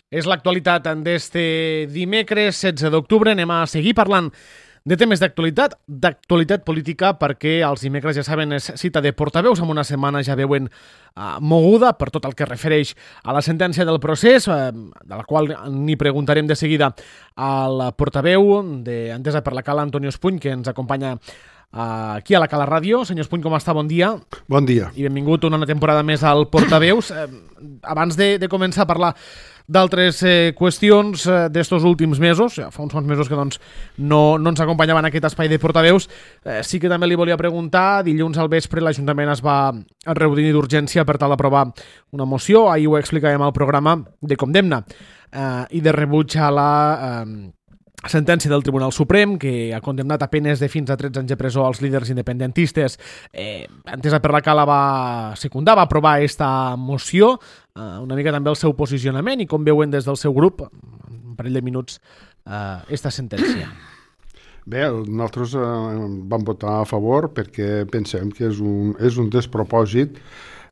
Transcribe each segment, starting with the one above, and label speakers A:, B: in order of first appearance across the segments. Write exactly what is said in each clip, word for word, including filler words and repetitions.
A: És l'actualitat d'este dimecres setze d'octubre. Anem a seguir parlant de temes d'actualitat, d'actualitat política, perquè els dimecres, ja saben, és cita de portaveus. En una setmana ja veuen uh, moguda per tot el que refereix a la sentència del procés, uh, de la qual n'hi preguntarem de seguida al portaveu d'Entesa per la Cala, Antonio Espuny, que ens acompanya uh, aquí a la Cala Ràdio. Senyor Espuny, com està? Bon dia.
B: Bon dia.
A: I benvingut una temporada més al Portaveus. Uh, abans de, de començar a parlar d'altres eh, qüestions eh, d'estos últims mesos, ja fa uns quants mesos que doncs, no, no ens acompanyaven en aquest espai de portaveus, eh, sí que també li volia preguntar. Dilluns al vespre l'Ajuntament es va reunir d'urgència per tal d'aprovar una moció, ahir ho explicàvem al programa, de condemna eh, i de rebuig a la eh, sentència del Tribunal Suprem, que ha condemnat a penes de fins a tretze anys de presó als líders independentistes. Eh, Entesa per la Cala va secundar, va aprovar aquesta moció, eh, una mica també el seu posicionament i com veuen des del seu grup, en un parell de minuts, eh, esta sentència.
B: Bé, nosaltres eh, vam votar a favor perquè pensem que és un, és un despropòsit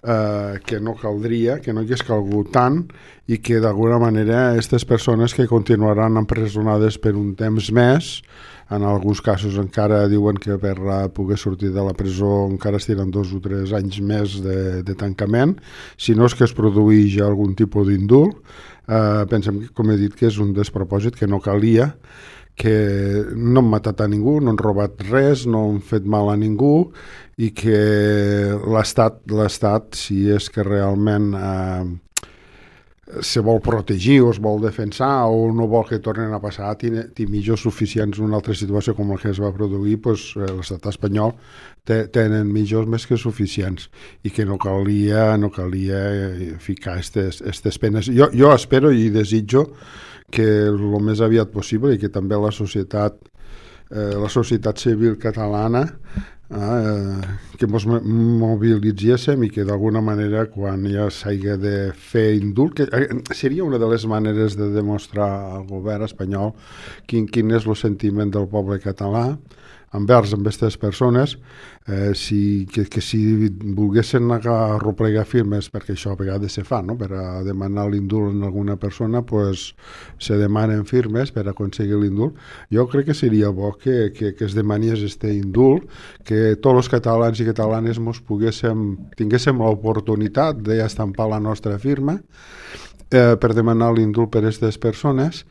B: eh, que no caldria, que no hagués calgut tant i que d'alguna manera aquestes persones que continuaran empresonades per un temps més, en alguns casos encara diuen que per poder sortir de la presó encara estiren dos o tres anys més de, de tancament, si no és que es produeix algun tipus d'indult. Eh, pensem, com he dit, que és un despropòsit, que no calia, que no han matat a ningú, no han robat res, no han fet mal a ningú i que l'Estat, l'Estat si és que realment eh, se vol protegir o es vol defensar o no vol que tornen a passar, té millors suficients en una altra situació com la que es va produir, doncs, l'estat espanyol té, tenen millors més que suficients i que no calia, no calia ficar aquestes penes. Jo, jo espero i desitjo que el més aviat possible i que també la societat, eh, la societat civil catalana eh, que ens mobilitzéssim i que d'alguna manera quan ja s'hagi de fer indult, que eh, seria una de les maneres de demostrar al govern espanyol quin, quin és el sentiment del poble català envers amb aquestes persones, eh, si, que, que si volguessin arreplegar firmes, perquè això a vegades se fa, no? Per a demanar l'indult en alguna persona, pues, se demanen firmes per aconseguir l'indult. Jo crec que seria bo que, que, que es demanés este indult, que tots els catalans i catalanes mos poguéssim, tinguéssim l'oportunitat d'estampar la nostra firma Eh, per demanar l'indult per a aquestes persones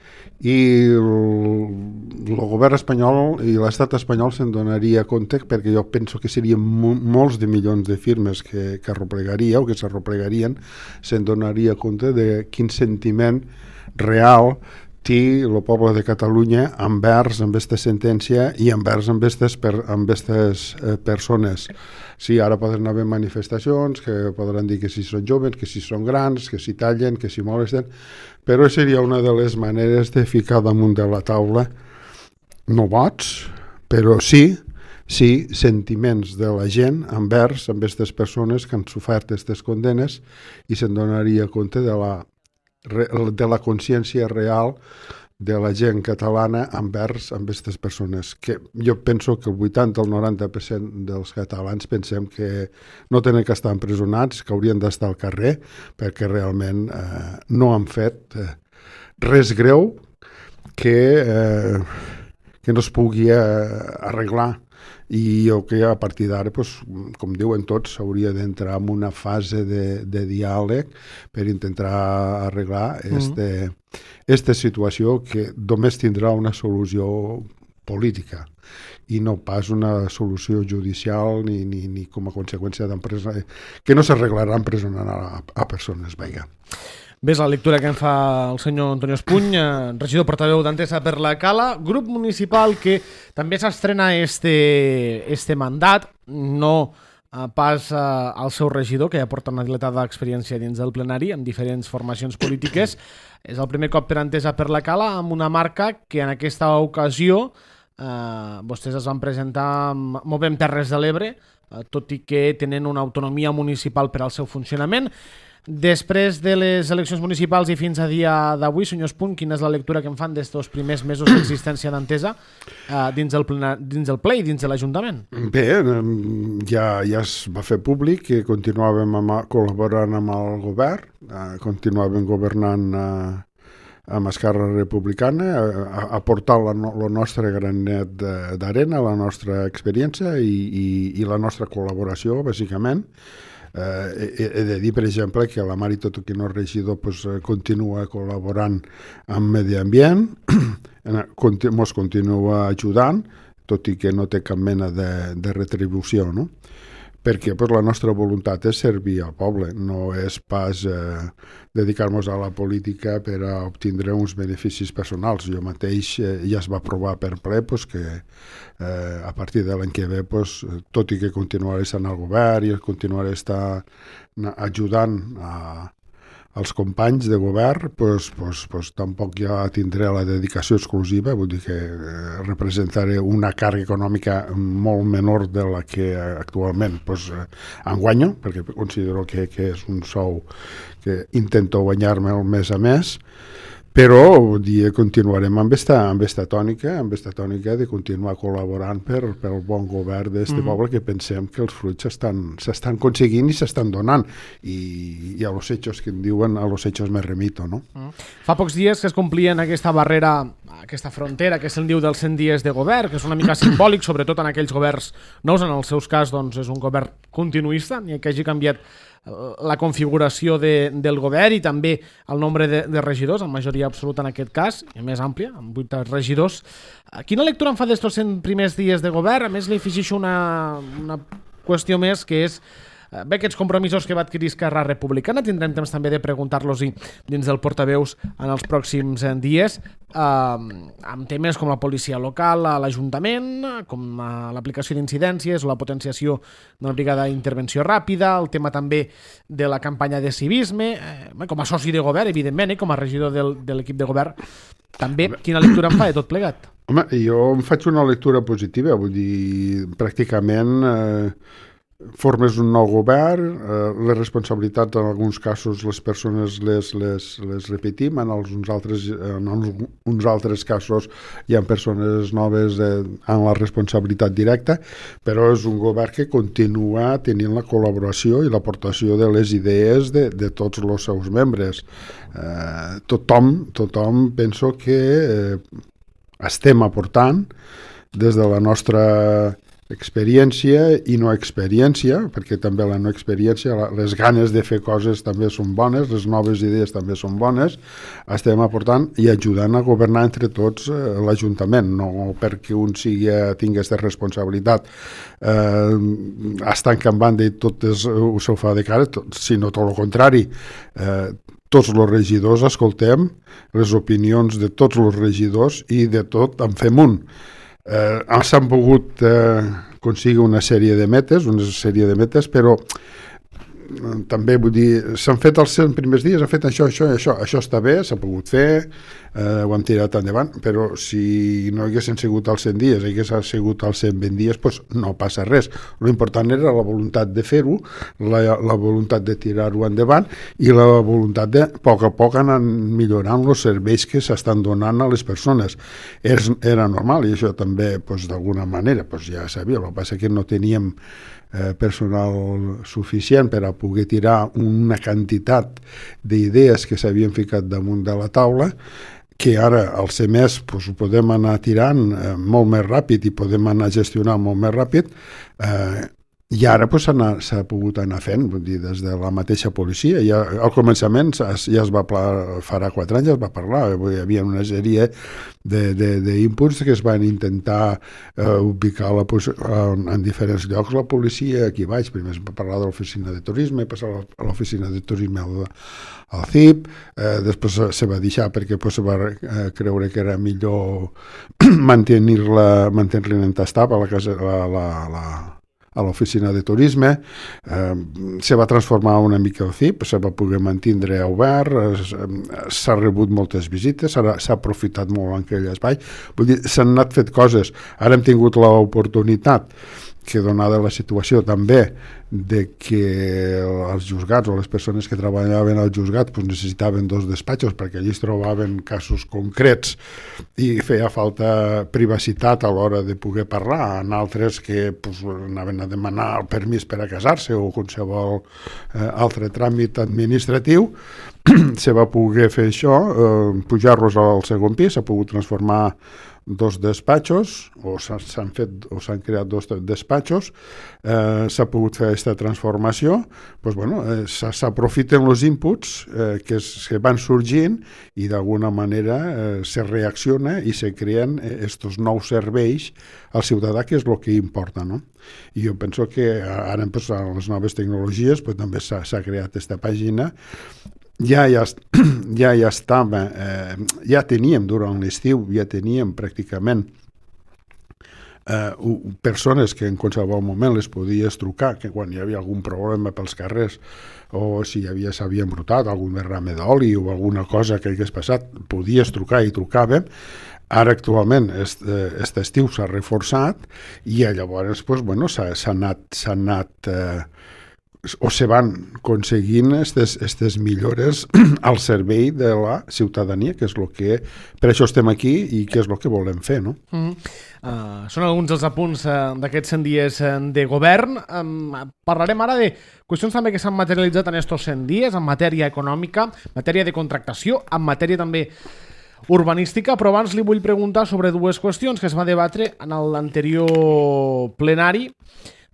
B: i el, el govern espanyol i l'estat espanyol se'n donaria compte, perquè jo penso que serien mo- molts de milions de firmes que, que arreplegaria o que s'arreplegarien, se'n donaria compte de quin sentiment real té el poble de Catalunya envers amb aquesta sentència i envers amb aquestes per, amb aquestes eh, persones. Sí, ara poden haver manifestacions que podran dir que si són joves, que si són grans, que si tallen, que si molesten, però seria una de les maneres de ficar damunt de la taula no vots, però sí, sí sentiments de la gent envers amb aquestes persones que han sofert aquestes condenes i se'n donaria compte de la de la consciència real de la gent catalana envers amb aquestes persones, que jo penso que el vuitanta al noranta per cent dels catalans pensem que no tenen que estar empresonats, que haurien d'estar al carrer, perquè realment eh, no han fet eh, res greu que, eh, que no es pugui eh, arreglar. I jo que a partir d'ara, pues, com diuen tots, s'hauria d'entrar en una fase de, de diàleg per intentar arreglar este, mm. esta situació que només tindrà una solució política i no pas una solució judicial ni, ni, ni com a conseqüència d'empresa, que no s'arreglarà empresonant a, a persones. Vinga.
A: Bé, és la lectura que en fa el senyor Antonio Espuny, eh, regidor portaveu d'Entesa per la Cala, grup municipal que també s'estrena este, este mandat, no eh, pas eh, al seu regidor, que ja porta una dilatada experiència dins del plenari amb diferents formacions polítiques. És el primer cop per Entesa per la Cala amb una marca que en aquesta ocasió eh, vostès es van presentar amb Movem Terres de l'Ebre, eh, tot i que tenen una autonomia municipal per al seu funcionament. Després de les eleccions municipals i fins a dia d'avui, senyor Espuny, quina és la lectura que en fan d'estos primers mesos d'existència d'Entesa eh, dins, el plena, dins el ple i dins de l'Ajuntament?
B: Bé, ja, ja es va fer públic que continuàvem amb, col·laborant amb el govern, eh, continuàvem governant eh, amb Esquerra Republicana, aportar el nostre granet d'arena, la nostra experiència i, i, i la nostra col·laboració, bàsicament. Eh, he, he de dir, per exemple, que la Mari Totoquino regidor pues, continua col·laborant amb Medi Ambient, ens continua ajudant, tot i que no té cap mena de, de retribució, no? Perquè pues, la nostra voluntat és servir al poble, no és pas eh, dedicar-nos a la política per a obtindre uns beneficis personals. Jo mateix eh, ja es va aprovar per ple pues, que eh, a partir de l'any que ve, pues, tot i que continuaré estant al govern i continuaré estar ajudant a els companys de govern, pues, pues, pues, tampoc ja tindré la dedicació exclusiva, vull dir que eh, representaré una càrrega econòmica molt menor de la que actualment pues, eh, en guanyo, perquè considero que, que és un sou que intento guanyar-me el mes a mes, però vull dir, continuarem amb esta, amb esta tònica, amb esta tònica de continuar col·laborant per, per el bon govern d'este mm. poble, que pensem que els fruits s'estan aconseguint i s'estan donant. I, i a los hechos que en diuen, a los hechos me remito, no?
A: Mm. Fa pocs dies que es complien aquesta barrera, aquesta frontera, que se'n diu dels cent dies de govern, que és una mica simbòlic, sobretot en aquells governs nous. En els seus cas, doncs, és un govern continuista, ni que hagi canviat la configuració de, del govern i també el nombre de, de regidors, en majoria absoluta en aquest cas, i més àmplia, amb vuit regidors. Quina lectura en fa d'estos cent primers dies de govern? A més, li afegeixo una, una qüestió més, que és bé, aquests compromisos que va adquirir Esquerra Republicana. Tindrem temps també de preguntar-los-hi dins del portaveus en els pròxims dies, eh, amb temes com la policia local a l'Ajuntament, com l'aplicació d'incidències o la potenciació de la brigada d'intervenció ràpida, el tema també de la campanya de civisme, eh, com a soci de govern, evidentment, eh, com a regidor del, de l'equip de govern. També, quina lectura em fa de tot plegat?
B: Home, jo em faig una lectura positiva, vull dir, pràcticament eh, formes un nou govern, eh, les responsabilitats en alguns casos les persones les, les, les repetim, en els, uns, altres, en els, uns altres casos hi ha persones noves eh, en la responsabilitat directa, però és un govern que continua tenint la col·laboració i l'aportació de les idees de, de tots els seus membres. Eh, tothom, tothom penso que eh, estem aportant des de la nostra experiència i no experiència, perquè també la no experiència, les ganes de fer coses també són bones, les noves idees també són bones, estem aportant i ajudant a governar entre tots eh, l'Ajuntament, no perquè un sigui, tingui aquesta responsabilitat eh, estant que en banda i tot és, ho se fa de cara, tot, sinó tot el contrari. Eh, tots els regidors escoltem les opinions de tots els regidors i de tot en fem un. Eh, s'han pogut eh, aconseguir una sèrie de metes, una sèrie de metes, però eh, també vull dir, s'han fet els cent primers dies, han fet això, això i això, això està bé, s'ha pogut fer, eh, ho hem tirat endavant, però si no haguessin sigut els cent dies, haguessin sigut els cent vint dies, doncs no passa res. L'important era la voluntat de fer-ho, la, la voluntat de tirar-ho endavant i la voluntat de, a poc a poc, anar millorant els serveis que s'estan donant a les persones. És, era normal i això també, doncs, d'alguna manera, doncs ja sabia, el que passa que no teníem eh, personal suficient per a poder tirar una quantitat d'idees que s'havien ficat damunt de la taula, que ara al ser més doncs, ho podem anar tirant eh, molt més ràpid i podem anar gestionant molt més ràpid, eh, i ara doncs, s'ha pogut anar fent, vull dir, des de la mateixa policia. Ja, al començament ja es va parlar, farà quatre anys ja es va parlar, hi havia una sèrie d'inputs que es van intentar eh, ubicar la, en, en diferents llocs la policia aquí baix. Primer es va parlar de l'oficina de turisme, passar a l'oficina de turisme al, al C I P, eh, després se va deixar perquè pues, se va eh, creure que era millor mantenir-la mantenir-la en tastat a la casa, la, la, la a l'oficina de turisme, eh, se va transformar una mica el C I P, se va poder mantindre obert, s'ha rebut moltes visites, s'ha aprofitat molt en aquell espai, vull dir, s'han anat fet coses. Ara hem tingut l'oportunitat que donada la situació també de que els juzgats o les persones que treballaven al juzgat pues, necessitaven dos despatxos perquè allí es trobaven casos concrets i feia falta privacitat a l'hora de poder parlar, en altres que pues, anaven a demanar el permís per a casar-se o qualsevol eh, altre tràmit administratiu. Se va poder fer això, eh, pujar-los al segon pis, s'ha pogut transformar dos despatxos, o s'han fet o s'han creat dos despatxos, eh, s'ha pogut fer aquesta transformació, doncs, bueno, eh, s'aprofiten els inputs eh, que, es, que van sorgint i d'alguna manera eh, se reacciona i se creen aquests nous serveis al ciutadà, que és el que importa, no? I jo penso que ara pues, amb les noves tecnologies pues, també s'ha creat aquesta pàgina. Ja, ja, ja, ja estava, eh, ja teníem durant l'estiu, ja teníem pràcticament eh, persones que en qualsevol moment les podies trucar, que quan hi havia algun problema pels carrers o si hi havia s'havia embrutat algun derrame d'oli o alguna cosa que hagués passat, podies trucar i trucàvem. Ara actualment aquest estiu s'ha reforçat i llavors pues, bueno, s'ha anat, s'ha anat eh, o se van aconseguint aquestes millores al servei de la ciutadania, que és el que per això estem aquí i que és el que volem fer, no?
A: Mm. Uh, són alguns dels apunts uh, d'aquests cent dies uh, de govern. Um, parlarem ara de qüestions també que s'han materialitzat en estos cent dies, en matèria econòmica, matèria de contractació, en matèria també urbanística, però abans li vull preguntar sobre dues qüestions que es va debatre en l'anterior plenari.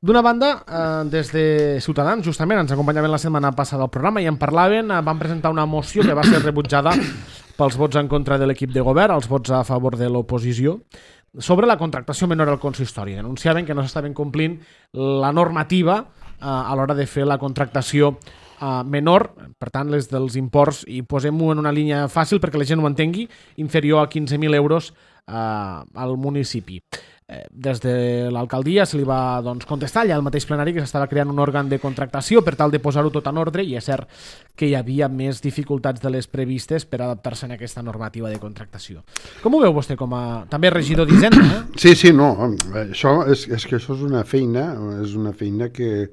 A: D'una banda, eh, des de Ciutadans, justament, ens acompanyaven la setmana passada al programa i en parlaven, eh, van presentar una moció que va ser rebutjada pels vots en contra de l'equip de govern, els vots a favor de l'oposició, sobre la contractació menor al consistori. Denunciaven que no s'estaven complint la normativa eh, a l'hora de fer la contractació eh, menor, per tant, les dels imports, i posem-ho en una línia fàcil perquè la gent ho entengui, inferior a quinze mil euros eh, al municipi. Des de l'alcaldia se li va doncs, contestar allà al mateix plenari que s'estava creant un òrgan de contractació per tal de posar-ho tot en ordre, i és cert que hi havia més dificultats de les previstes per adaptar-se a aquesta normativa de contractació. Com ho veu vostè com a també regidor d'Hisenda? Eh?
B: Sí, sí, no, això és, és que això és una feina, és una feina que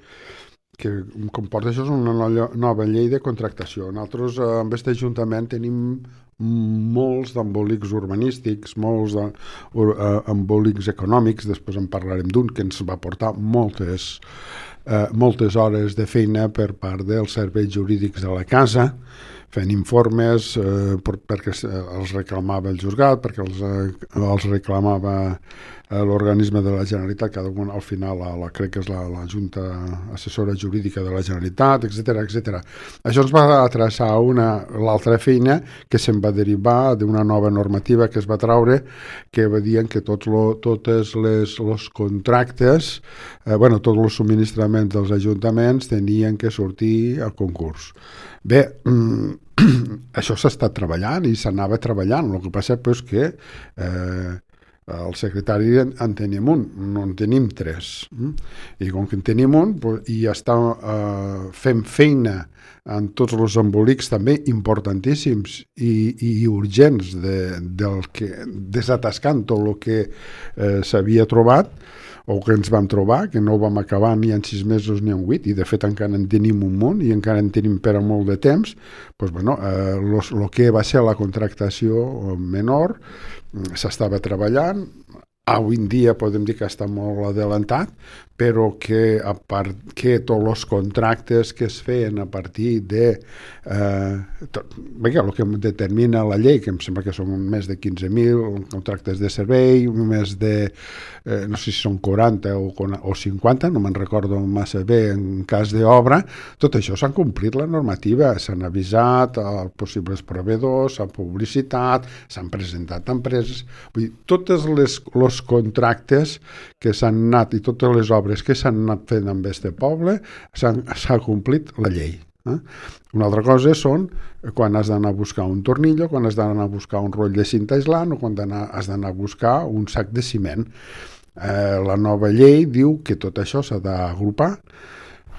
B: que comporta això és una nova llei de contractació. Nosaltres amb aquest Ajuntament tenim molts d'embolics urbanístics, molts d'embolics econòmics, després en parlarem d'un que ens va portar moltes, eh, moltes hores de feina per part dels serveis jurídics de la casa, fent informes eh, per, perquè els reclamava el juzgat, perquè els, eh, els reclamava eh, l'organisme de la Generalitat, cada un al final la, la, crec que és la, la Junta Assessora Jurídica de la Generalitat, etcètera, etcètera. Això ens va atreçar una l'altra feina que se'n va derivar d'una nova normativa que es va traure, que va dir que tots lo, totes les los contractes, eh, bueno, tots els subministraments dels ajuntaments tenien que sortir a concurs. Bé, això s'ha estat treballant i s'anava treballant. El que passa és que eh, el secretari en tenim un, no en tenim tres. I com que en tenim un, i està eh, fent feina en tots els embolics també importantíssims i, i urgents de, del que, desatascant tot el que eh, s'havia trobat, o que ens vam trobar, que no ho vam acabar ni en sis mesos ni en vuit, i de fet encara en tenim un munt i encara en tenim per a molt de temps, doncs, bueno, eh, los, lo que va ser la contractació menor s'estava treballant. Avui en dia podem dir que està molt adelantat, però que, a part, que tots els contractes que es feien a partir de eh, tot, veia, el que determina la llei, que em sembla que són més de quinze mil contractes de servei, més de, eh, no sé si són quaranta o, o cinquanta, no me'n recordo massa bé en cas d'obra, tot això s'han complit la normativa, s'han avisat als possibles proveïdors, s'han publicitat, s'han presentat empreses, vull dir, totes les, les contractes que s'han anat i totes les obres que s'han anat fent amb este poble s'ha complit la llei. Eh? Una altra cosa són quan has d'anar a buscar un tornillo, quan has d'anar a buscar un roll de cinta aislant o quan has d'anar a buscar un sac de ciment. Eh, la nova llei diu que tot això s'ha d'agrupar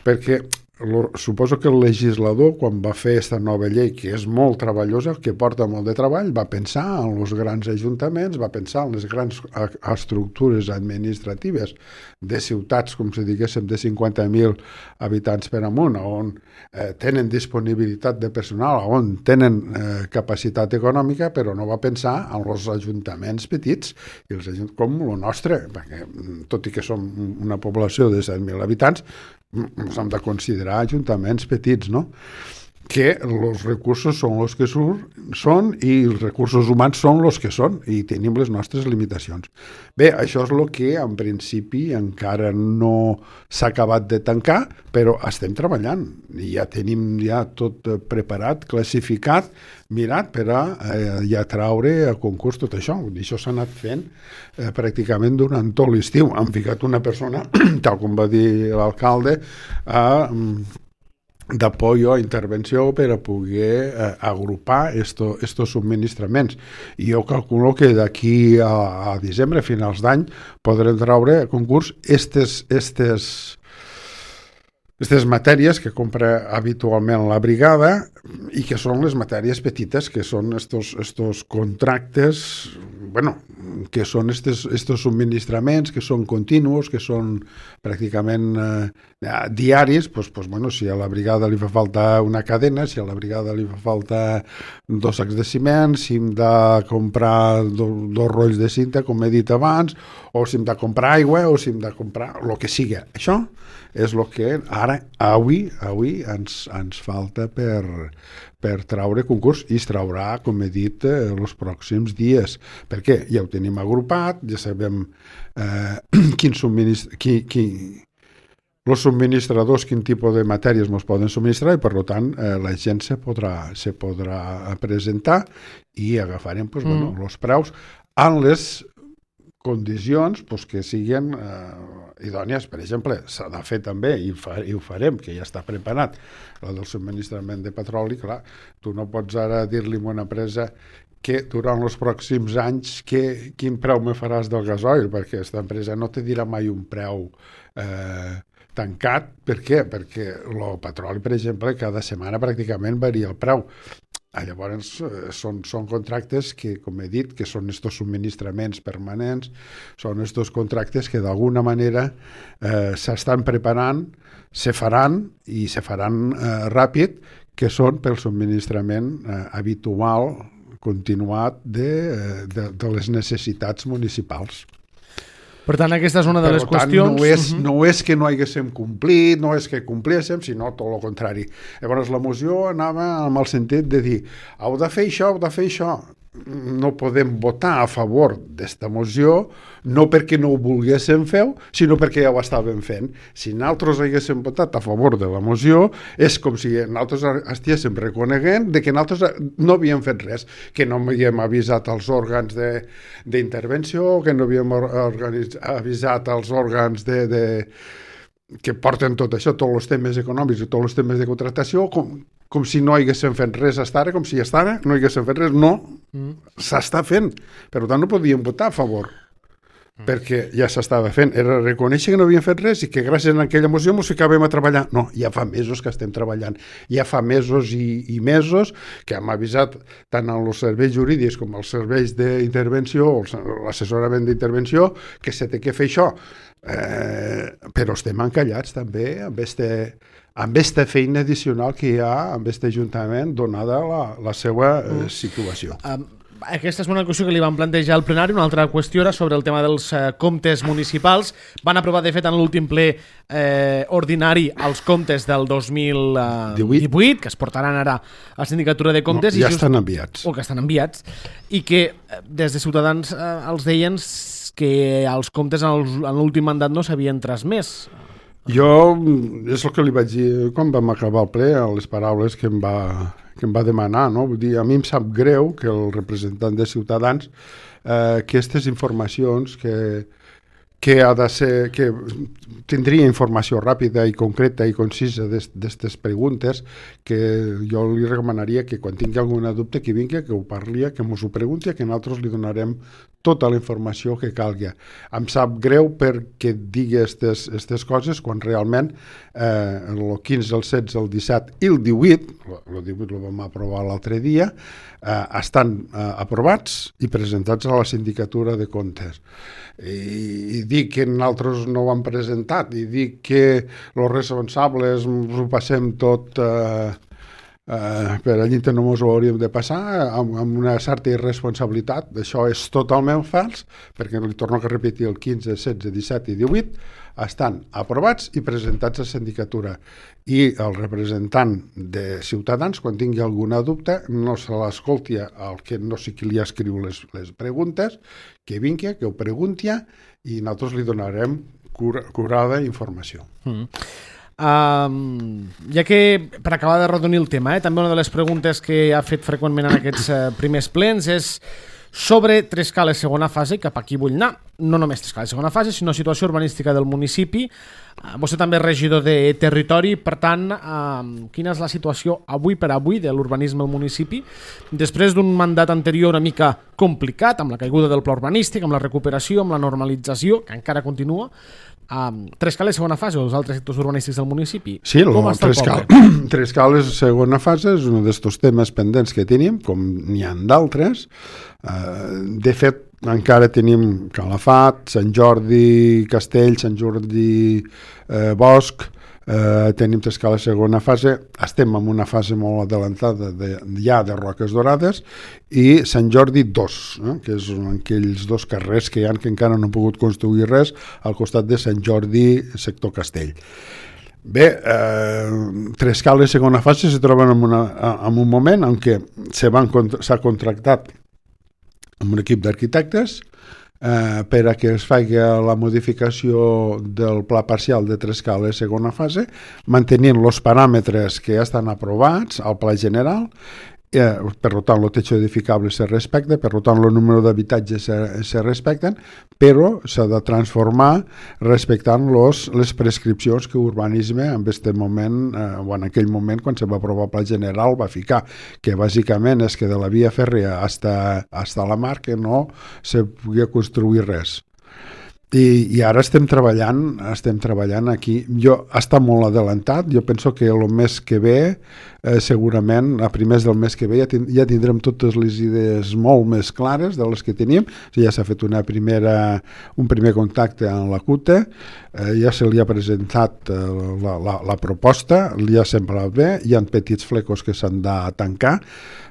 B: perquè lo, suposo que el legislador, quan va fer aquesta nova llei, que és molt treballosa, que porta molt de treball, va pensar en els grans ajuntaments, va pensar en les grans estructures administratives de ciutats, com si diguéssim, de cinquanta mil habitants per amunt, on eh, tenen disponibilitat de personal, on tenen eh, capacitat econòmica, però no va pensar en els ajuntaments petits, i els ajuntaments com el nostre, perquè tot i que som una població de set mil habitants, ens hem de considerar ajuntaments petits, no? Que els recursos són els que són i els recursos humans són els que són i tenim les nostres limitacions. Bé, això és el que en principi encara no s'ha acabat de tancar, però estem treballant i ja tenim ja tot preparat, classificat, mirat per a eh, ja traure a concurs tot això. I això s'ha anat fent eh, pràcticament durant tot l'estiu. Han ficat una persona, tal com va dir l'alcalde, a d'apoyo a intervenció per a poder eh, agrupar estos, estos subministraments. I jo calculo que d'aquí a, a desembre, a finals d'any, podrem traure a concurs estes, estes, estes matèries que compra habitualment la brigada i que són les matèries petites, que són estos, estos contractes, bueno, que són estos, estos subministraments, que són continus, que són pràcticament eh, diaris, pues, pues, bueno, si a la brigada li fa falta una cadena, si a la brigada li fa falta dos sacs de ciment, si hem de comprar do, dos rolls de cinta, com he dit abans, o si hem de comprar aigua, o si hem de comprar el que sigui. Això és el que ara, avui, avui ens, ens falta per, per traure concurs i es traurà, com he dit, eh, els pròxims dies. Perquè ja ho tenim agrupat, ja sabem eh, quin subministra... Qui, qui, els subministradors, quin tipus de matèries ens poden subministrar i, per tant, eh, la gent se podrà, se podrà presentar i agafarem pues, mm. bueno, els preus en les condicions pues, que siguin eh, idònies. Per exemple, s'ha de fer també, i, fa, i ho farem, que ja està preparat, la del subministrament de petroli. Clar, tu no pots ara dir-li a una empresa que durant els pròxims anys que, quin preu me faràs del gasoil, perquè aquesta empresa no te dirà mai un preu eh, tancat. Per què? Perquè el petroli, per exemple, cada setmana pràcticament varia el preu. Llavors són, són contractes que, com he dit, que són estos subministraments permanents, són estos contractes que d'alguna manera eh, s'estan preparant, se faran i se faran eh, ràpid, que són pel subministrament eh, habitual, continuat de, de, de les necessitats municipals.
A: Per tant, aquesta és una de per les tant, qüestions...
B: No és, uh-huh. no és que no haguéssim complit, no és que complíssim, sinó tot el contrari. Llavors, la moció anava amb el sentit de dir heu de fer això, heu de fer això. No podem votar a favor d'esta moció, no perquè no ho volguéssim fer, sinó perquè ja ho estàvem fent. Si nosaltres haguéssim votat a favor de la moció, és com si nosaltres estiguéssim reconeguent de que nosaltres no havíem fet res, que no havíem avisat els òrgans d'intervenció, que no havíem avisat els òrgans de, de, que porten tot això, tots els temes econòmics i tots els temes de contractació, com, com si no haguéssim fet res hasta ara, com si hasta ara no haguéssim fet res. No, mm. s'està fent. Per tant, no podíem votar a favor, mm. perquè ja s'estava fent. Era reconèixer que no havíem fet res i que gràcies a aquella moció ens ficàvem a treballar. No, ja fa mesos que estem treballant. Ja fa mesos i, i mesos que hem avisat tant als serveis jurídics com als serveis d'intervenció, l'assessorament d'intervenció, que se té que fer això. Eh, però estem encallats també amb este, amb aquesta feina addicional que hi ha amb aquest ajuntament donada la, la seva eh, situació.
A: Um, aquesta és una qüestió que li van plantejar al plenari. Una altra qüestió era sobre el tema dels eh, comptes municipals. Van aprovar, de fet, en l'últim ple eh, ordinari els comptes del dos mil divuit, que es portaran ara a la Sindicatura de Comptes.
B: No, ja
A: i just,
B: estan enviats.
A: O que estan enviats. I que des de Ciutadans eh, els deien que els comptes en l'últim mandat no s'havien transmès.
B: Jo, és el que li vaig dir quan vam acabar el ple, les paraules que em va, que em va demanar, no? Vull dir, a mi em sap greu que el representant de Ciutadans eh, aquestes informacions que, que ha de ser, que tindria informació ràpida i concreta i concisa d'aquestes preguntes, que jo li recomanaria que quan tingui alguna dubte que vingui, que ho parli, que ens ho pregunti, que nosaltres li donarem tota la informació que calgui. Em sap greu perquè digui aquestes coses quan realment eh, el quinze, el setze, el disset i el divuit, el divuit el vam aprovar l'altre dia, eh, estan eh, aprovats i presentats a la sindicatura de comptes. I, i dir que nosaltres no ho hem presentat i dir que els responsables ho passem tot eh, eh, per allí no ens ho hauríem de passar amb, amb una certa irresponsabilitat. Això és totalment fals, perquè li torno a repetir, el quinze, setze, disset i divuit estan aprovats i presentats a la sindicatura, i el representant de Ciutadans, quan tingui alguna dubte, no se l'escolti al que no sé qui li escriu les, les preguntes, que vingui, que ho pregunti, i nosaltres li donarem cura, curada informació. Mm.
A: Um, ja que, per acabar de redonir el tema, eh, també una de les preguntes que ha fet freqüentment en aquests uh, primers plens és sobre Trescales segona fase, cap aquí vull anar. No només Trescales segona fase, sinó situació urbanística del municipi. Uh, vostè també és regidor de territori, per tant, uh, quina és la situació avui per avui de l'urbanisme al municipi, després d'un mandat anterior una mica complicat, amb la caiguda del pla urbanístic, amb la recuperació, amb la normalització, que encara continua. Um, Trescales segona fase o els altres sectors urbanístics del municipi?
B: Sí, el,
A: com està el
B: Trescal,
A: poble?
B: Trescales segona fase és un d'aquests temes pendents que tenim, com n'hi ha d'altres. Uh, de fet, encara tenim Calafat, Sant Jordi Castell, Sant Jordi eh, Bosch, eh, tenim Trescales segona fase, estem en una fase molt adelantada de, ja de Roques Dorades, i Sant Jordi dos, eh, que és aquells dos carrers que hi ha que encara no han pogut construir res al costat de Sant Jordi sector Castell. Bé, eh, Trescales segona fase se troben en, una, en un moment en què s'ha contractat amb un equip d'arquitectes eh, per a que es faci la modificació del pla parcial de Trescales segona fase, mantenint els paràmetres que ja estan aprovats al pla general. Eh, per tant, el techo edificable se respecta, per tant, el número d'habitatges se, se respecten, però s'ha de transformar respectant los, les prescripcions que urbanisme en aquest moment, eh, o en aquell moment, quan se va aprovar el pla general, va ficar, que bàsicament és que de la via fèrria hasta, hasta la mar que no se podia construir res. I, i ara estem treballant estem treballant aquí. Jo està molt adelantat, jo penso que el mes que ve eh, segurament a primers del mes que ve ja, tind ja tindrem totes les idees molt més clares de les que tenim. Ja s'ha fet una primera, un primer contacte amb la C U T E, eh, ja se li ha presentat eh, la, la, la proposta, li ha semblat bé, hi ha petits flecos que s'han de tancar.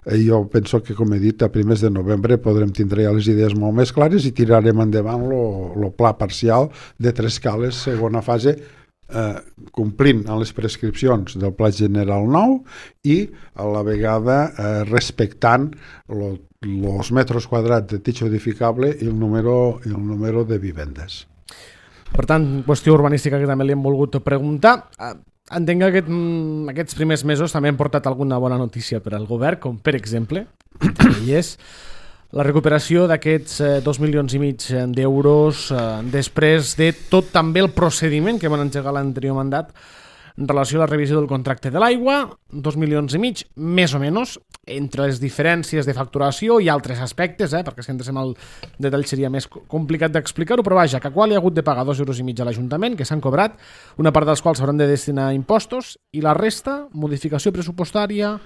B: Eh, jo penso que, com he dit, a primers de novembre podrem tindre ja les idees molt més clares i tirarem endavant el pla parcial de Trescales segona fase, eh, complint amb les prescripcions del pla general nou i a la vegada eh, respectant els metres quadrats de techo edificable i el número, i el número de vivendes.
A: Per tant, qüestió urbanística que també li hem volgut preguntar. Entenc que aquest, aquests primers mesos també han portat alguna bona notícia per al govern, com per exemple, i és la recuperació d'aquests eh, dos milions i mig d'euros eh, després de tot també el procediment que van engegar l'anterior mandat en relació a la revisió del contracte de l'aigua, dos milions i mig, més o menys, entre les diferències de facturació i altres aspectes, eh, perquè si entrem al detall seria més complicat d'explicar-ho, però vaja, que a qual hi ha hagut de pagar dos euros i mig a l'Ajuntament, que s'han cobrat, una part dels quals s'hauran de destinar a impostos, i la resta, modificació pressupostària,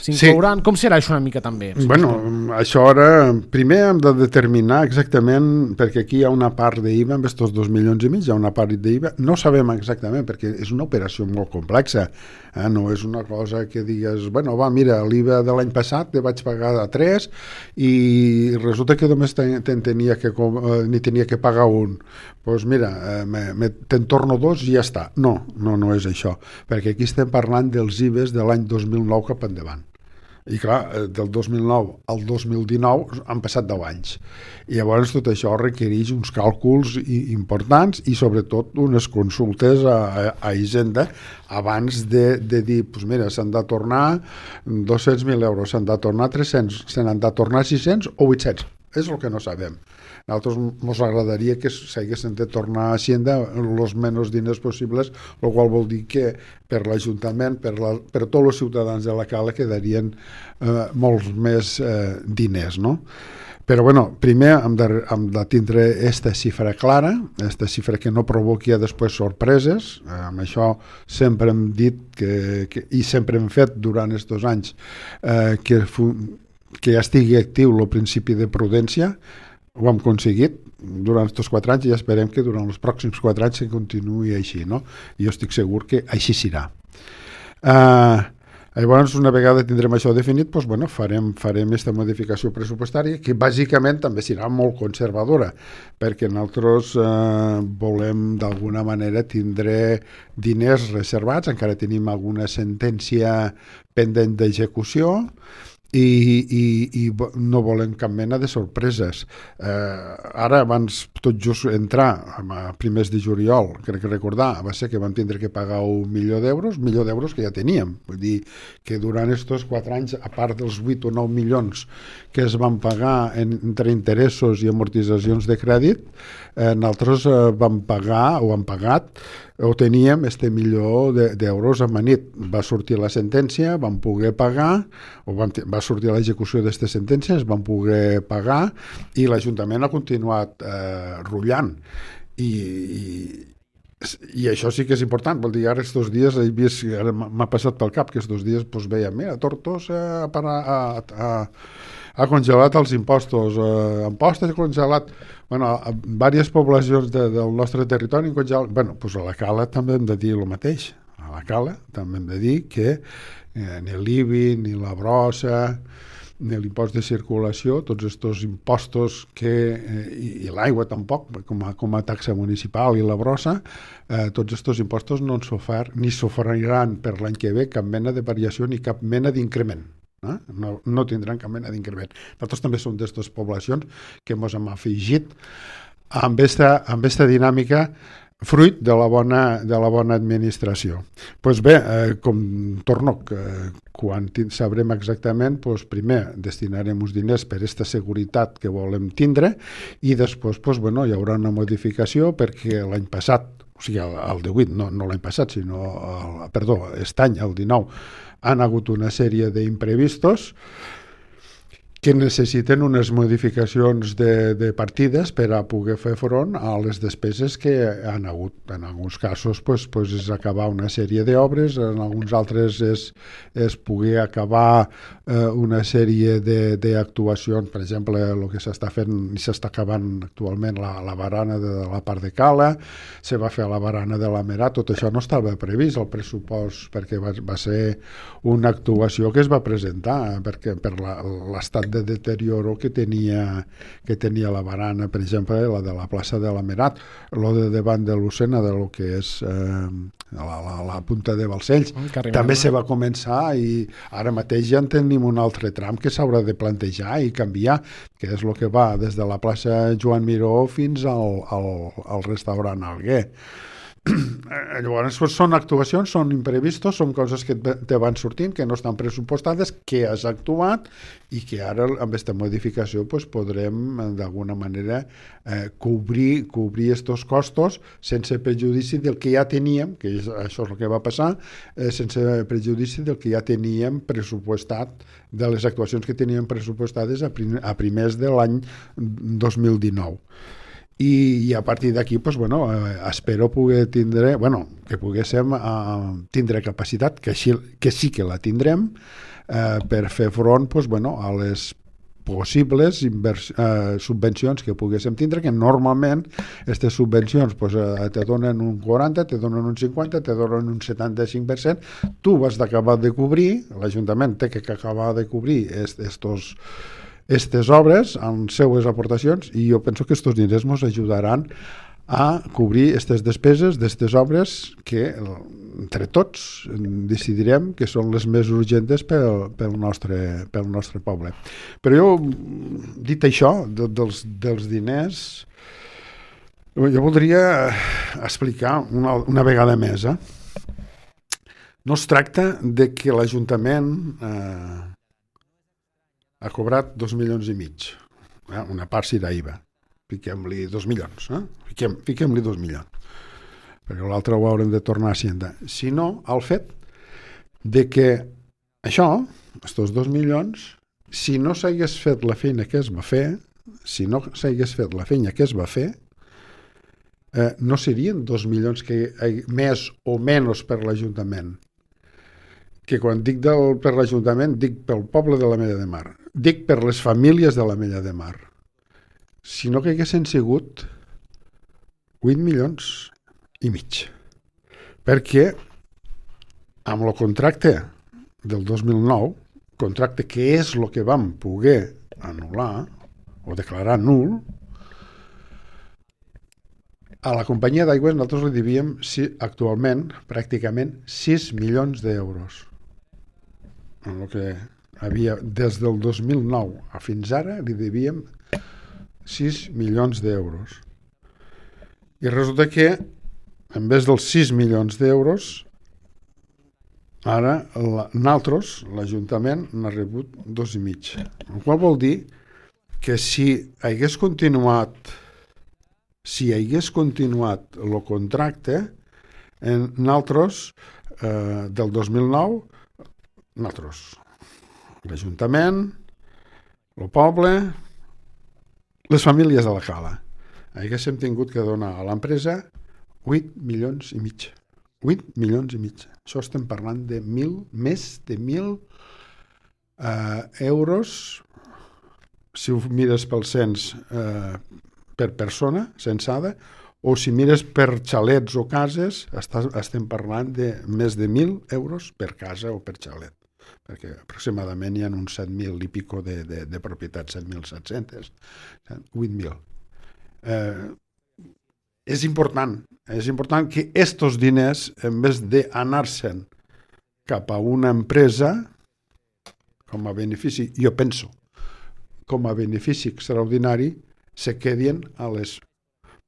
A: s'inclouran... Sí. Com serà això una mica també?
B: Bueno, això ara, primer hem de determinar exactament, perquè aquí hi ha una part d'I V A, amb aquests dos milions i mig, hi ha una part d'I V A, no sabem exactament, perquè és una operació molt complexa, eh? No és una cosa que digues, bueno, va, mira, l'I V A de l'any passat te vaig pagar a tres i resulta que només ten, ten tenia que, eh, ni tenia que pagar un. Doncs pues mira, eh, me, me, te'n torno dos i ja està. No, no, no és això, perquè aquí estem parlant dels I V As de l'any dos mil nou cap endavant. I clar, del dos mil nou al dos mil dinou han passat deu anys. I llavors tot això requereix uns càlculs importants i sobretot unes consultes a, a, a Hisenda abans de, de dir, pues mira, s'han de tornar dos-cents mil euros, s'han de tornar tres-cents, s'han de tornar sis-cents o vuit-cents. És el que no sabem. A nosaltres ens agradaria que s'haguessin de tornar a Hacienda els menys diners possibles, el qual vol dir que per l'Ajuntament, per, la, per tots els ciutadans de la Cala quedarien eh, molts més eh, diners, no? Però, bueno, primer hem de, hem de tindre aquesta xifra clara, aquesta xifra que no provoqui després sorpreses. Eh, amb això sempre hem dit que, que, i sempre hem fet durant aquests anys eh, que, que estigui actiu el principi de prudència. Ho hem aconseguit durant aquests quatre anys i esperem que durant els pròxims quatre anys se continuï així, no? I jo estic segur que així serà. Eh... Llavors, una vegada tindrem això definit, doncs, bueno, farem farem aquesta modificació pressupostària, que bàsicament també serà molt conservadora, perquè nosaltres eh, volem d'alguna manera tindre diners reservats, encara tenim alguna sentència pendent d'execució, i, i, i no volem cap mena de sorpreses. Eh, ara, abans tot just entrar a primers de juliol, crec que recordar, va ser que vam tindre que pagar un milió d'euros, un milió d'euros que ja teníem. Vull dir que durant aquests quatre anys, a part dels vuit o nou milions que es van pagar en, entre interessos i amortitzacions de crèdit, eh, nosaltres eh, vam pagar o hem pagat o teníem este milió d'euros amanit. Va sortir la sentència, vam poder pagar, o vam, va sortir l'execució d'aquestes sentències, vam poder pagar, i l'Ajuntament ha continuat eh, rutllant. I, i, I això sí que és important. Vol dir, ara estos dies he vist, ara m'ha passat pel cap que estos dies pues, veiem, mira, Tortosa ha, ha, ha, ha congelat els impostos, eh, impostos ha congelat. Bueno, a diverses poblacions de, del nostre territori en congelat. Bueno, pues a la Cala també hem de dir el mateix. A la Cala també hem de dir que eh, ni l'I B I, ni la brossa, ni l'impost de circulació, tots aquests impostos que, eh, i, i l'aigua tampoc, com a, com a taxa municipal i la brossa, eh, tots aquests impostos no s'ofert ni s'oferiran per l'any que ve cap mena de variació ni cap mena d'increment. Eh? No, no tindran cap mena d'increment. Nosaltres també som d'aquestes poblacions que ens hem afegit amb aquesta, amb aquesta dinàmica fruit de la bona, de la bona administració. Pues bé, eh, com torno, eh, quan sabrem exactament, pues primer destinarem uns diners per aquesta seguretat que volem tindre i després pues, bueno, hi haurà una modificació perquè l'any passat, o sigui, el, el divuit, no, no l'any passat, sinó, el, perdó, aquest any, el dinou, han hagut una sèrie d'imprevistos que necessiten unes modificacions de, de partides per a poder fer front a les despeses que han hagut. En alguns casos pues, pues és acabar una sèrie d'obres, en alguns altres és, és poder acabar eh, una sèrie d'actuacions, per exemple, el que s'està fent i s'està acabant actualment la, la barana de la part de Cala, se va fer la barana de la Merat, tot això no estava previst al pressupost perquè va, va ser una actuació que es va presentar perquè per l'estat de deterioro que tenia, que tenia la barana, per exemple, la de la plaça de la Merat, lo de davant de l'Ocena, de lo que és eh, la, la, la punta de Balcells. També se va començar i ara mateix ja en tenim un altre tram que s'haurà de plantejar i canviar, que és el que va des de la plaça Joan Miró fins al, al, al restaurant Alguer. Llavors són actuacions, són imprevistos, són coses que te van sortint, que no estan pressupostades, que has actuat i que ara amb aquesta modificació pues, podrem d'alguna manera eh, cobrir cobrir estos costos sense prejudici del que ja teníem, que és, això és el que va passar, eh, sense prejudici del que ja teníem pressupostat, de les actuacions que teníem pressupostades a, prim, a primers de l'any dos mil dinou. I, i a partir d'aquí pues, bueno, eh, espero poder tindre, bueno, que poguéssim eh, tindre capacitat, que, així, que sí que la tindrem, eh, per fer front pues, bueno, a les possibles invers, eh, subvencions que poguéssim tindre, que normalment aquestes subvencions pues, eh, te donen un quaranta, te donen un cinquanta, te donen un setanta-cinc per cent, tu has d'acabar de cobrir, l'Ajuntament té que acabar de cobrir estos aquestes obres amb seues aportacions i jo penso que aquests diners ens ajudaran a cobrir aquestes despeses d'aquestes obres que entre tots decidirem que són les més urgents pel, pel, nostre, pel nostre poble. Però jo, dit això, de, dels, dels diners, jo voldria explicar una, una vegada més. Eh? No es tracta de que l'Ajuntament... Eh, ha cobrat dos milions i mig. Eh? Una part serà I V A. Fiquem-li dos milions. Eh? Fiquem, fiquem-li dos milions. Perquè l'altre ho haurem de tornar a Hacienda. Si no, el fet de que això, aquests dos milions, si no s'hagués fet la feina que es va fer, si no s'hagués fet la feina que es va fer, eh, no serien dos milions que hi, més o menys per l'Ajuntament. Que quan dic del, per l'Ajuntament, dic pel poble de l'Ametlla de Mar. Dic per les famílies de l'Ametlla de Mar. Si no que haguessin sigut vuit milions i mig. Perquè amb el contracte del dos mil nou, contracte que és el que vam poder anul·lar o declarar nul, a la companyia d'aigües nosaltres li devíem si, actualment pràcticament sis milions d'euros. En el que havia, des del dos mil nou a fins ara li devíem sis milions d'euros. I resulta que en vez dels sis milions d'euros, ara la, nosaltres, l'Ajuntament, n'ha rebut dos i mig. El qual vol dir que si hagués continuat si hagués continuat el contracte, en nosaltres, eh, del dos mil nou, nosaltres, l'Ajuntament, el poble, les famílies de la Cala, haguéssim tingut que donar a l'empresa vuit milions i mig. vuit milions i mig. Això estem parlant de mil, més de mil eh, euros, si ho mires pel cens, eh, per persona censada, o si mires per xalets o cases, estàs, estem parlant de més de mil euros per casa o per xalet, perquè aproximadament hi ha uns set mil i pico de, de, de propietats, set mil set-cents, vuit mil. Eh, és important, és important que estos diners, en vez d'anar-se'n cap a una empresa, com a benefici, jo penso, com a benefici extraordinari, se quedin a les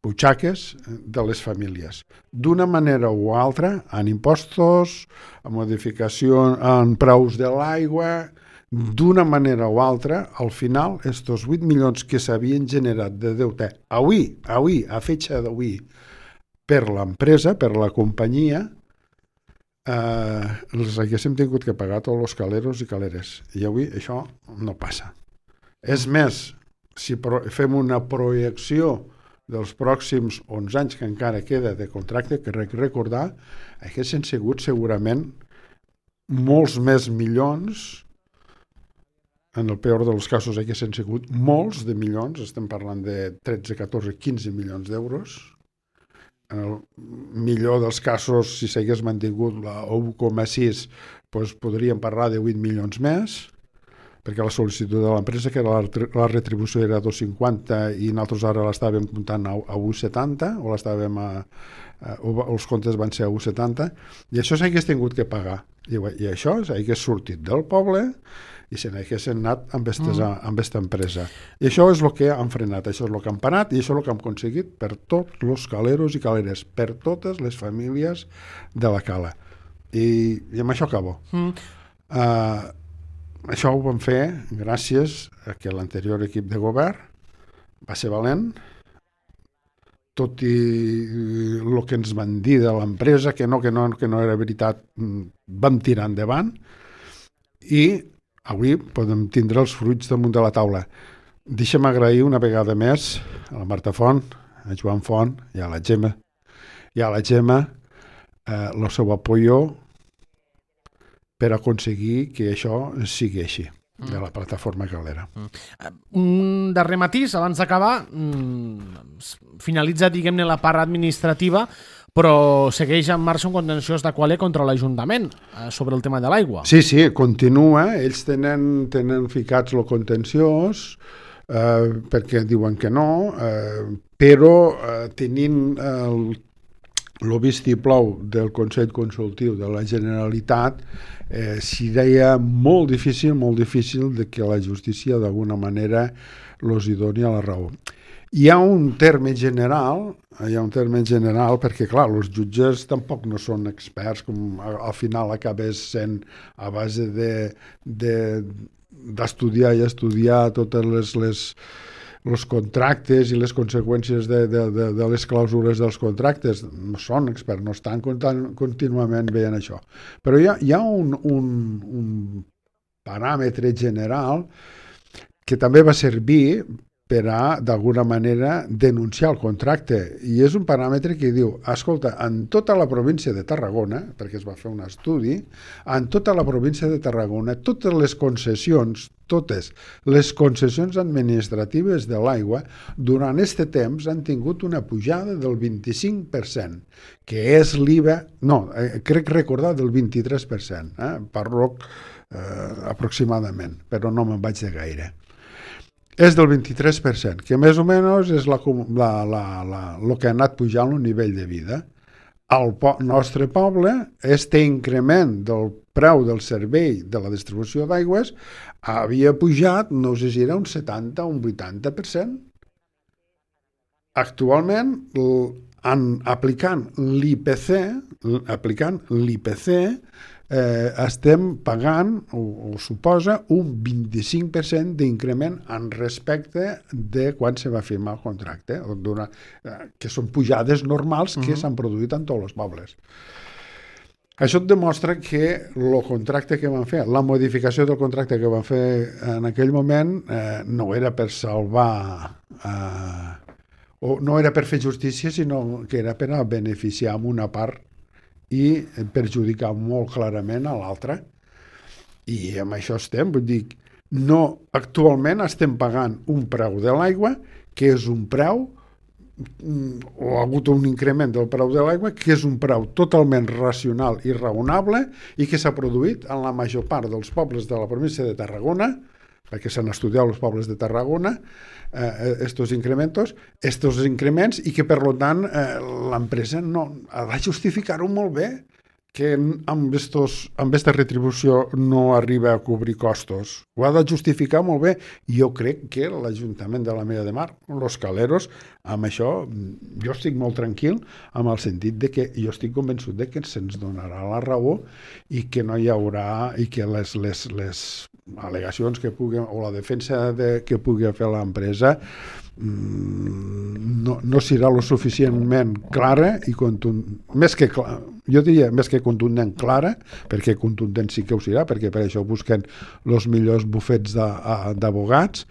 B: butxaques de les famílies. D'una manera o altra, en impostos, en modificació en preus de l'aigua, d'una manera o altra, al final, estos vuit milions que s'havien generat de deute avui, avui, a fetxa d'avui, per l'empresa, per la companyia, eh, els haguéssim tingut que pagar tots els caleros i caleres. I avui això no passa. És més, si fem una projecció dels pròxims onze anys que encara queda de contracte, que recordar, haguessin sigut segurament molts més milions, en el peor dels casos haguessin sigut molts de milions, estem parlant de tretze, catorze, quinze milions d'euros. En el millor dels casos, si s'hagués mantingut la u coma sis, doncs podríem parlar de vuit milions més, perquè la sol·licitud de l'empresa, que la, la retribució era dos coma cinquanta i nosaltres ara l'estàvem comptant a, a u coma setanta, o l'estàvem a, a, els comptes van ser a u coma setanta, i això s'hagués tingut que pagar. I, i això s'hagués sortit del poble i se n'haguessin anat amb aquesta mm. empresa. I això és el que han frenat, això és el que han parat i això és el que han aconseguit per tots els caleros i caleres, per totes les famílies de la Cala. I, i amb això acabo. Mm. Uh, Això ho vam fer gràcies a que l'anterior equip de govern va ser valent, tot i el que ens van dir de l'empresa, que no, que no, que no era veritat, vam tirar endavant i avui podem tindre els fruits damunt de la taula. Deixa'm agrair una vegada més a la Marta Font, a Joan Font i a la Gemma, i a la Gemma eh, el seu apoyo per aconseguir que això sigui així, de la plataforma calera.
A: Un darrer matís, abans d'acabar, finalitza, diguem-ne, la part administrativa, però segueix en marxa un contenciós d'Aqualia contra l'Ajuntament sobre el tema de l'aigua.
B: Sí, sí, continua. Ells tenen, tenen ficats el contenciós, eh, perquè diuen que no, eh, però eh, tenint el el vistiplau del Consell Consultiu de la Generalitat, eh, s'hi deia molt difícil, molt difícil de que la justícia d'alguna manera els hi doni a la raó. Hi ha un terme general, hi ha un terme general perquè, clar, els jutges tampoc no són experts, com al final acabés sent a base de, de, d'estudiar i estudiar totes les, les els contractes i les conseqüències de, de, de, de les clàusules dels contractes. No són experts, no estan contínuament veient això. Però hi ha, hi ha un, un, un paràmetre general que també va servir per a, d'alguna manera, denunciar el contracte. I és un paràmetre que diu, escolta, en tota la província de Tarragona, perquè es va fer un estudi, en tota la província de Tarragona, totes les concessions, totes les concessions administratives de l'aigua, durant aquest temps han tingut una pujada del vint-i-cinc per cent, que és l'I V A, no, eh, crec recordar del vint-i-tres per cent, eh, parlo eh, aproximadament, però no me'n vaig de gaire. És del vint-i-tres per cent, que més o menys és la, la, la, la, el que ha anat pujant el nivell de vida. Al po nostre poble, este increment del preu del servei de la distribució d'aigües havia pujat, no sé si era un setanta o un vuitanta per cent. Actualment, en, aplicant l'I P C, aplicant l'I P C, Eh, estem pagant, o, o suposa, un vint-i-cinc per cent d'increment en respecte de quan se va firmar el contracte, d'una, eh, que són pujades normals que uh-huh. s'han produït en tots els pobles. Això et demostra que el contracte que van fer, la modificació del contracte que van fer en aquell moment, eh, no era per salvar, eh, o no era per fer justícia, sinó que era per a beneficiar amb una part i perjudicar molt clarament a l'altre. I amb això estem, vull dir, no, actualment estem pagant un preu de l'aigua, que és un preu, o ha hagut un increment del preu de l'aigua, que és un preu totalment racional i raonable i que s'ha produït en la major part dels pobles de la província de Tarragona, perquè s'han estudiat els pobles de Tarragona, eh, estos incrementos, estos increments, i que, per tant, eh, l'empresa no, ha de justificar-ho molt bé, que amb, estos, amb aquesta retribució no arriba a cobrir costos. Ho ha de justificar molt bé. I jo crec que l'Ajuntament de la Mella de Mar, los caleros, amb això, jo estic molt tranquil, amb el sentit de que jo estic convençut de que se'ns donarà la raó i que no hi haurà, i que les, les, les al·legacions que pugui, o la defensa de, que pugui fer l'empresa no, no serà lo suficientment clara i contundent, més que clara, jo diria més que contundent clara, perquè contundent sí que ho serà, perquè per això busquen els millors bufets d'advocats,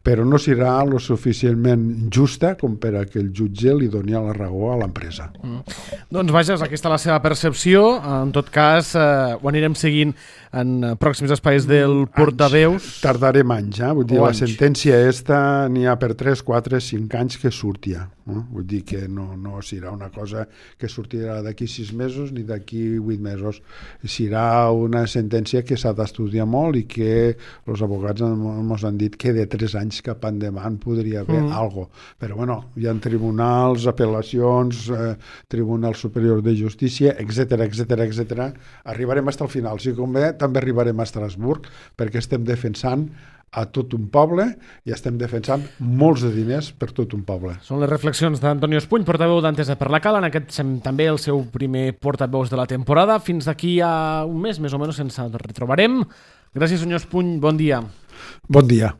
B: però no serà lo suficientment justa com per a que el jutge li doni la raó a l'empresa.
A: Mm. Doncs vaja, aquesta és la seva percepció. En tot cas, eh, ho anirem seguint en pròxims espais del portaveus.
B: Anys. Tardarem anys, eh? Vull dir, la sentència esta n'hi ha per tres, quatre, cinc anys que sortia. Eh? Vull dir que no, no serà una cosa que sortirà d'aquí sis mesos ni d'aquí vuit mesos. Serà una sentència que s'ha d'estudiar molt i que els advocats ens han dit que de tres anys cap endavant podria haver mm. algo. Però bueno, hi ha tribunals, apel·lacions, eh, Tribunal Superior de Justícia, etcètera, etcètera, etcètera. Arribarem fins al final. Si convé, també arribarem a Estrasburg, perquè estem defensant a tot un poble i estem defensant molts de diners per tot un poble.
A: Són les reflexions d'Antonio Espuny, portaveu d'Entesa per la Cala, en aquest també el seu primer portaveus de la temporada. Fins d'aquí a un mes, més o menys, ens retrobarem. Gràcies, senyor Espuny. Bon dia.
B: Bon dia.